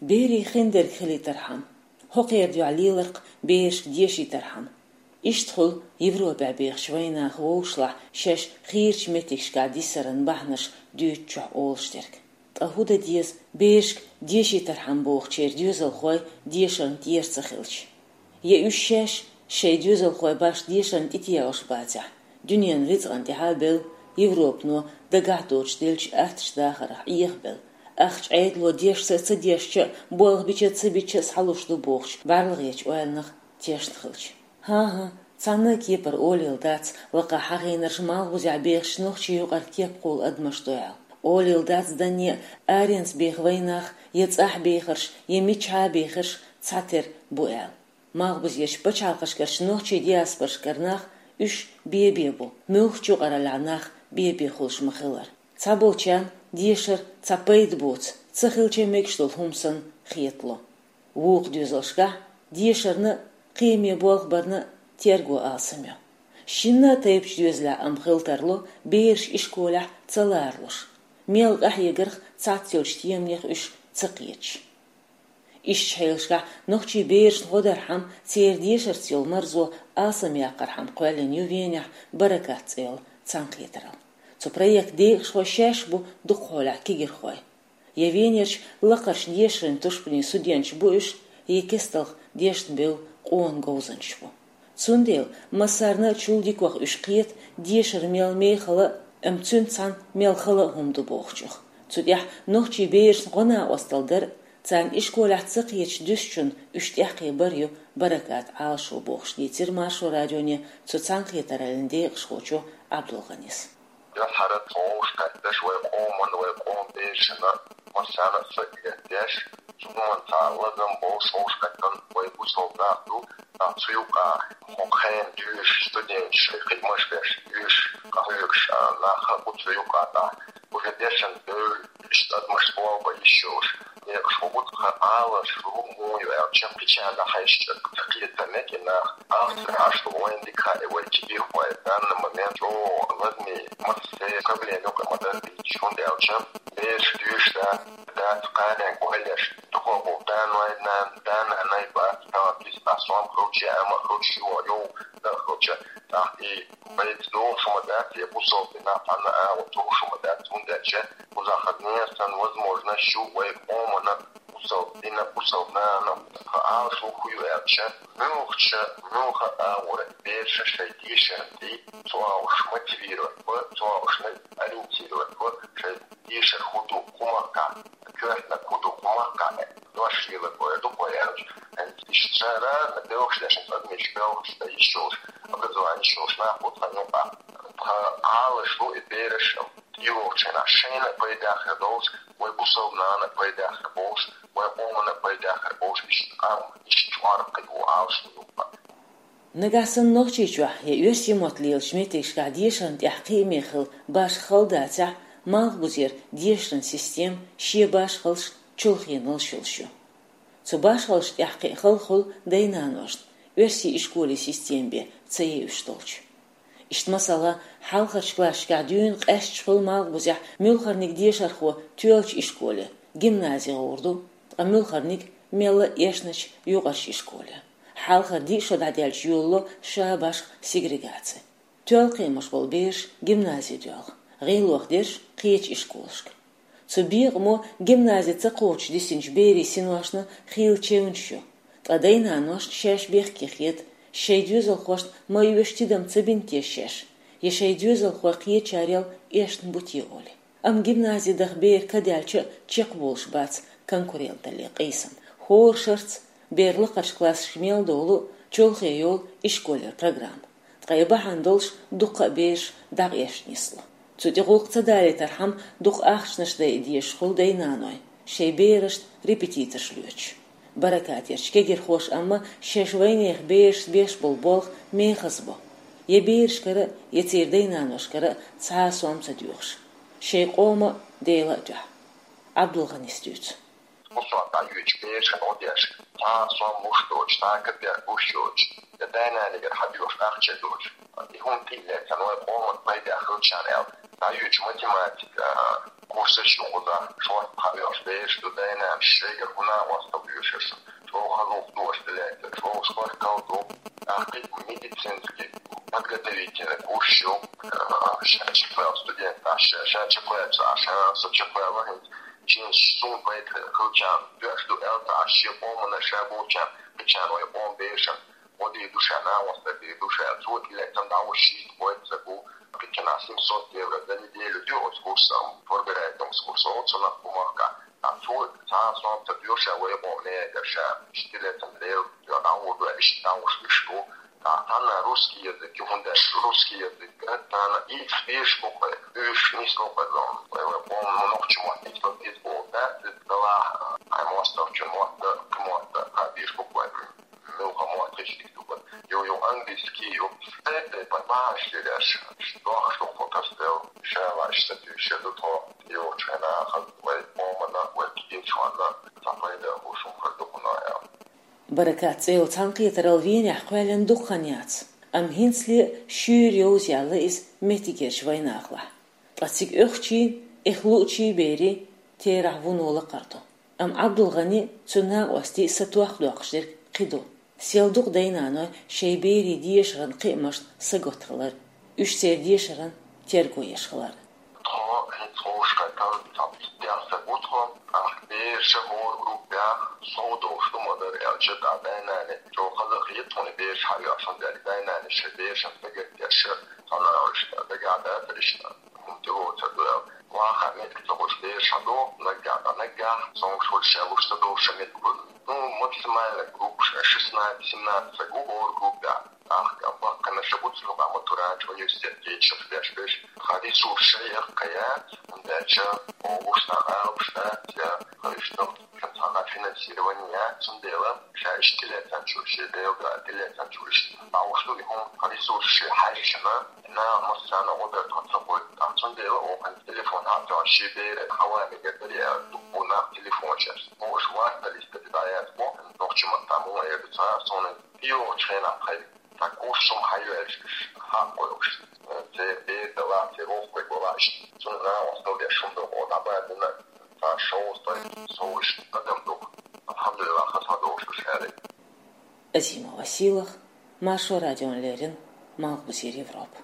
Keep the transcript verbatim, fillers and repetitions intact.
Берийн хиндерг хилийтархьама, хӀокхеран дуьхьа леларх берашка дешийтархьама. Иштта хуьлу Европехь бехачу вайнаха вовшашлахь шаьш хийрачу меттигашкахь дисаран бахьанаш дуьйцучохь олуш дерг. Ткъа хӀун дан деза берашка дешийтархьама бохучеран доьзалхойн дешарна тӀера ца хилча? Я уьш шаьш шайн доьзалхой башха дешарна тӀетеӀуш бацахь, дуьненан рицкъана тӀаьхьа а белла, Европано дагахь доцуш деллачу аттачу дахарх Ӏехабелла, ахча Ӏедало дешца а ца дешча а, болх бича а ца бича а схьалуш ду бохучу бӀаьрлагӀечу ойланах тешна хилча? ХӀан-хӀа, цхьанна а кепара олийла дац лакхахь хьахийнарш малхбузехь бехачу нохчийн юкъара кепкъалла адамаш ду аьлла. Олийла дац данне а аренца беха вайнах, я цӀахь бехарш, я мичахьа а бехарш цхьатера бу аьлла. Малхбузерчу пачхьалкхашкарчу нохчийн диаспорашкара нах уьш бен-бен бу, муьлххачу юкъараллехь нах бен-бен хуьлуш ма-хиллара. Цхьаболчарна дешар цхьа пайда боцу, ца хилча мегаш долу хӀума санна хетало. Вукху доьзалшкахь дешарна а, кхиаме болх барна а терго алсам ю. Шинна а тайпанчу доьзалехь амма хила тарло бераш ишколехь ца ларалуш, мел къахьегарх цхьацца йолчу теманех уьш ца кхеташ. Ишттачу хьелашкахь нохчийн берашна гӀо дархьама, церан дешарца йолу марзо алсамъяккхархьама кхоьллина ю Венехь «Баракат» цӀе йолу цхьаьнакхетаралла. Цу проектан декъашхой шаьш бу дукхахьолехь кегирхой. Я Венерчу лакхарчу дешаран тушпанийн судьянаш бу уьш, я кестта дешна бевлла къона говзанчаш бу. Цундела массарна а чул дикох уьш кхета дешар мел мехала а, амма цуьнца цхьаьна мел хала а хӀума ду бохучух. Цу тӀехь нохчийн берашна гӀо-накъосталла дар а, царна ишколехь ца кхеташ дуьсучунна уьш тӀекхиар а ю «Баракат» Ӏалашо бохуш, дийцира Маршо радионе цу цхьаьнакхетараллин декъашхочо Ӏабдулгъанис. Дуьххьара тхо вовшахкхеташ вай къоман, вай къоман берашна массарна а са а деш, цу хӀуманца лазам болуш вовшахкхетта вай бусалба нах ду, а, цу юкъа хӀокху хенан доьшуш студенташ шайн хиламаш беш, доьшуш къахьоьгуш, а, нах а бу цу юкъа тӀехь. Уже дешна бевлла, иштта адамаш болх бан йиш йолуш, декъашхо бу тхан Ӏалашо муха ю аьлча, кхечарна хьаьжча, ца кхетар мега и нах. Ахча Ӏаш ду вайн дика хаьа, вай кегирхой, данна момент чӀогӀа лазаме массо а проблема юкъа ма-дарра дийцича, хӀунда аьлча бераш доьшуш дац, кхаренга ойла еш, дукхах болу да-ной, нана, да-нанай бац, тахана киса а сом хилча, амма хилча, йо, йо, дан хилча, тӀаккха и пайда догӀуш ма дац, я бусалба динах цхьанна а агӀо товш ма дац, хӀунда аьлча кхузахь нехан возможность ю вай къомана, бусалба дина, бусалба нана, тхан Ӏалашо хӀун ю аьлча, муьлххачу, муьлхха а агӀора бераш шайн дешарна тӀе, цу агӀор мотивировать бан, цу агӀор ориентировать бан, шайн дешар хӀун ду кху махкахь, коьртаниг хӀун ду кху махкахь, дош лелар бан ду кхо аьлча. Иштта ша разный белхаш деш, адамаш белхаш дан йиш йолуш, образование йиш йолуш нах бу тхан юкъахь. Тхан Ӏалашо и бераш тӀейогӀучу хенахь шайна а пайда хир долуш, вай бусалба нана а пайда хир болуш, вай къомана а пайда хир болуш, иштта къам, иштта чкъор кхин ву Ӏалашо юкъа. Нагахь санна Нохчийчохь я оьрсийн мотт лелачу меттигашкахь дешарна тӀехь кхиаме хила башха хала дацахь, малхбузера дешаран система шен башхаллаш, чулхеналлаш йолуш ю. Цу башхаллашна тӀехь кхин хала хуьлу дай-наношна, оьрсийн ишколан система бен ца евзаш долчу. Иштта, масала, хьалхарчу классашкахь дуьйна къаьсташ хуьлу малхбузехь муьлххарниг дешархо тоьллачу ишколе, гимназе гӀур ду, ткъа муьлххарниг мелла а эшначу юкъарчу ишколе. Хьалхара диъ шо дӀадаьлча йолало ша башха сегрегаци. Тоьлла кхиамаш болу бераш гимназе доьлху, гӀийлох дерш кхечу ишколашка. Цу бекъамо гимназе ца кхочуш дисинчу берийн синошна хийла чевнаш ю. Ткъа дай-наношна шаьш бехке хета, шайн доьзалхошна ма оьшу тидам ца бина те шаьш, я шайн доьзалхой кхечарел эшна бу те олий. Амма гимназе даха бер кадаьлча а чекхболуш бац конкуренталле къийсам. ХӀора шарца бер лакхарчу классашка мел долу чолхе йолу ишколера программа. Ткъа и бахьана долуш дуккха а бераш дӀакъаьсташ нисло. Цу тӀе гӀуллакх ца далийтархьама, дукха ахчанаш дайа дезаш хуьлу дай-наной, шайн берашна репетиторш лоьцуш. Баракатерчу кегирхоша амма шаьш вайнехан берашца беш болу болх мехаза бо. Я берашкара, я церан дай-наношкара цхьа а сом ца доьхуш. Шайн къоман а, Делан а дуьхьа. Ӏабдулгъанис дуьйцу. Кху сохьта йоьдучу берашна гӀо деш, цхьа а сом луш доцуш, цхьа а капек луш йоцуш, я дай-нанегара хьадоьхуш ахча доцуш, и хӀума тӀе а лаьцна, вай къоман пайда хилчарна аьлла, Ӏа юьйцу математика курсаш ю кхузахь, шортта хьа оьхуш бераш ду, дай-нанас шайгара хӀун накъосталла оьшуш, чӀогӀа хазух ду оцу тӀе лаьттар, чӀогӀа шортта ду. ТӀаккха медицинский подготовительный курс ю, ша чекхваьлла студент, ша, ша чекхваьлла, ша, ша со чекхваьлла, хӀинца шен сум пайда хилчарна доьш ду аьлла, ша шен къомана ша болчарна, кхечарна вай къоман берашна гӀо дийр ду ша, накъосталла дийр ду ша, цо тӀелаьцна дӀахьуш шийтта-кхойтта саг ву, кхечанхьа семьсот евро за неделю ду оцу курсана, forbereitungskurs олу цунах бу махкахь. Ткъа цо цхьа а сом ца доьшу ша вай къоман мегар ша, иштта тӀелаьцна Дела дуьхьа дӀахьур ду, иштта дӀахьуш уьш ду. Ткъа цхьанна русский язык ю, хӀунда аьлча русский язык царна ийца безаш бу-кх вай, уьш нисло-кх вай зовна. Вай, вай къоман нохчийн мотт ийца беза боху дац, иза далахь, хьайн мостагӀчун мотт, кхин мотт а безаш бу-кх вай. Муьлхха мотт хилча дика ду-кх. Ю, ю, английский ю. Тайп-тайпана бахьанаш лелош, дохуш ду-кх кху тасадел. Ша ваьш сатуьйсуш ду тхо, йогӀучу хенахь хаза вай къоманна, вай кхечунна цхьа пайда а хӀума хир ду хӀуна аьлла. Баракат цӀе йолу цхьаьнакхетаралла Венехь кхоьллина дукха хан яц, амма хӀинцале шуьйра йовза яьлла иза меттигерчу вайнахалахь. Ткъа цига оьхучийн, эхь луучийн берийн терахь вуно лакхара ду. Амма Ӏабдулгани, цуьнан накъостий сатохка доккхуш дерг кхин ду. Сел ду-кх дай-наной шайн берийн дешаран кхиамашна сагатта хилар, уьш церан дешаран терго еш хилар. Тхо хӀинца ховшахкхетта цхьа пхийтта саг ву тхо, тӀаккха бераш хӀора группехь сов долуш ду ма-дарра аьлча, тӀаккха дай-наной чӀогӀа хаза хета тхуна бераш хьаоьхуш, хӀунда аьлча дай-наной шайн берашна сагатдеш, цхьана уьш дагахь дацара иштта. ХӀума тӀелоцур ду аьлла. Ваха меттиг ца хуьлуш бераш хьадогӀу, наггахь, наггахь, цомгуш хуьлуш, шаьш луш ца долуш меттиг хуьлу. Ну, максимально группа шестнадцать-семнадцать саг ву хӀора группехь. ТӀаккха баккхийнаш а бу цигахь, матурант, университет кечам деш берш. Тхан ресурс шайх кхайа, хӀунда аьлча оха гуш цхьа алапаш дац, я кхайшна цхьана финансирование яц, цундела ша иштта тӀелаьцначуьра, шен Делан дуьхьа тӀелаьцначуьра иштта дӀахьуш ду и хӀума, тхан ресурс шен хьаьжча, наха массарна гӀо дар тхо ца гойту. ТӀаккха цундела оха телефон хьа а тоьхна, шен беран хьаван мегар дара, я дуккха нах телефонаш еш. Хьо уьш варталлица дӀаяц боху, нохчийн маттахь муха эр ду цара, суна и йогӀучу хенахь тхайн цхьа курс хӀума хьайоьллуш уьш хьакхойуш. Церан бер далахь, церан воккхаве валахь, иштта цунна накъосталла деш хӀума ду, оха дӀабаьлла дина цхьа шовзткъе сов иштта адам ду. Алхьамдулиллах, хаза хьадогӀуш ду ша аьлла. Азима Василах, Маршо радиона леррина, Малхбузера Европа.